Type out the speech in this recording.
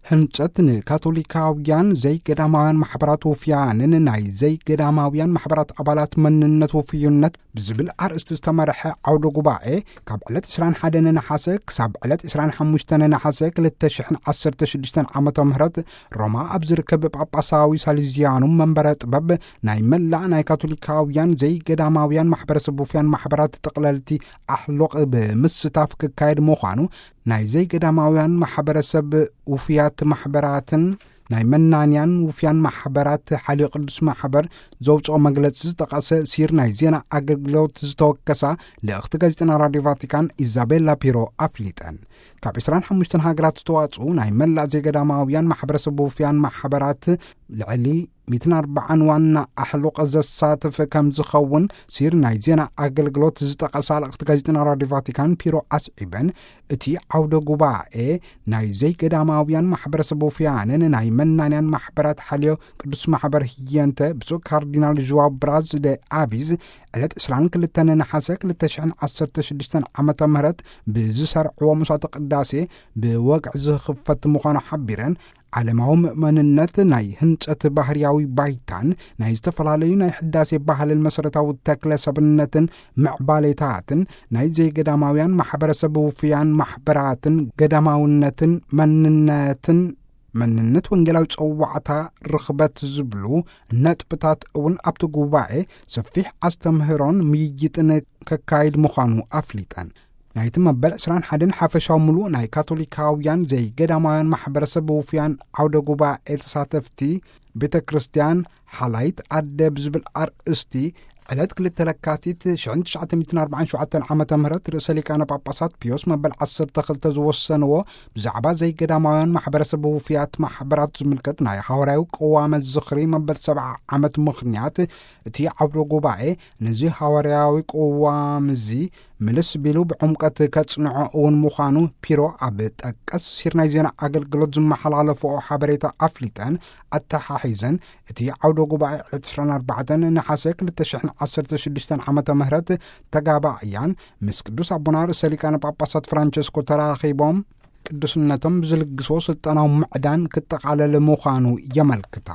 ህንጸት ንካቶሊካውያን ዘይገዳማውያን ማሕበራት ውፍያንን ናይ ዘይገዳማውያን ማሕበራት ኣባላት መንነት ውፍዩነት ብዝብል ኣርእስቲ ዝተመርሐ ዓውደ ጉባኤ፣ ካብ ዕለት ዕስራን ሓደን ነሓሰ ክሳብ ዕለት ዕስራን ሓሙሽተን ነሓሰ ክልተ ሽሕን ዓሰርተ ሽዱሽተን ዓመተ ምህረት፣ ሮማ ኣብ ዝርከብ ጳጳሳዊ ሳሊዝያኑ መንበረ ጥበብ፣ ናይ መላእ ናይ ካቶሊካውያን ዘይገዳማውያን ማሕበረሰብ ውፍያን ማሕበራት ጠቕለልቲ ኣሕሎቕ ብምስታፍ ክካየድ ምዃኑ፣ ናይ ዘይገዳማውያን ማሕበረሰብ ውፍያት ማሕበራትን ናይ መናንያን ውፍያን ማሕበራት ሓልዮ ቅዱስ ማሕበር ዘውፅኦ መግለፂ ዝጠቐሰ ሲር ናይ ዜና ኣገልግሎት ዝተወከሳ ልእኽቲ ጋዜጠና ራድዮ ቫቲካን ኢዛቤላ ፒሮ ኣፍሊጠን። ካብ ዕስራን ሓሙሽተን ሃገራት ዝተዋፅኡ ናይ መላእ ዘይገዳማውያን ማሕበረሰብ ውፍያን ማሕበራት ልዕሊ ሚእትን ኣርባዓን ዋና ኣሕሉቕ ዘሳትፍ ከም ዝኸውን ሲር ናይ ዜና ኣገልግሎት ዝጠቐሳ ልእኽቲ ጋዜጠና ራድዮ ቫቲካን ፒሮ ኣስዒበን፣ እቲ ዓውደ ጉባኤ ናይ ዘይገዳማውያን ማሕበረሰብ ውፍያንን ናይ መናንያን ማሕበራት ሓልዮ ቅዱስ ማሕበር ህየንተ ብፁዕ ካርዲናል ዥዋ ብራዝ ደ ኣቪዝ ዕለት ዕስራን ክልተን ነሓሰ ክልተ ሽሕን ዓሰርተ ሽዱሽተን ዓመተ ምህረት ብዝሰርዕዎ ምሳተ ቅዳሴ ብወግዒ ዝኽፈት ምዃኑ ሓቢረን፣ ዓለማዊ ምእመንነት ናይ ህንጸት ባህርያዊ ባይታን ናይ ዝተፈላለዩ ናይ ሕዳሴ ባህልን መሰረታዊ ተክለ ሰብነትን ምዕባሌታትን ናይ ዘይገዳማውያን ማሕበረሰብ ውፍያን ማሕበራትን ገዳማውነትን መንነትን መንነት ወንጌላዊ ጸዋዕታ ርኽበት ዝብሉ ነጥብታት እውን ኣብቲ ጉባኤ ሰፊሕ ኣስተምህሮን ምይይጥን ከካይድ ምዃኑ ኣፍሊጠን። ናይቲ መበል ዕስራን ሓደን ሓፈሻዊ ምሉእ ናይ ካቶሊካውያን ዘይገዳማውያን ማሕበረሰብ ውፍያን ዓውደ ጉባኤ ተሳተፍቲ ቤተ ክርስቲያን ሓላይት ኣደ ብዝብል ኣርእስቲ ዕለት ክልተ ለካቲት ሽሕን ትሽዓተ ሚእትን ኣርባዓን ሸውዓተን ዓመተ ምህረት ርእሰ ሊቃነ ጳጳሳት ፒዮስ መበል ዓሰርተ ክልተ ዝወሰንዎ ብዛዕባ ዘይገዳማውያን ማሕበረሰብ ውፍያት ማሕበራት ዝምልከት ናይ ሃዋርያዊ ቅዋመ ዝኽሪ መበል ሰብዓ ዓመት ምኽንያት እቲ ዓውደ ጉባኤ ነዚ ሃዋርያዊ ቅዋም እዚ ምልስ ቢሉ ብዕምቀት ከጽንዖ እውን ምዃኑ ፒሮ ኣብ ጠቀስ ሲር ናይ ዜና ኣገልግሎት ዝመሓላለፍኦ ሓበሬታ ኣፍሊጠን ኣተሓሒዘን፣ እቲ ዓውደ ጉባኤ ዕለት ዕስራን ኣርባዕተን ነሓሰ ክልተ ሽሕን ዓሰርተ ሽዱሽተን ዓመተ ምህረት ተጋባእያን ምስ ቅዱስ ኣቦና ርእሰ ሊቃነ ጳጳሳት ፍራንቸስኮ ተራኺቦም ቅዱስነቶም ብዝልግስዎ ስልጣናዊ ምዕዳን ክጠቓለል ምዃኑ የመልክታ።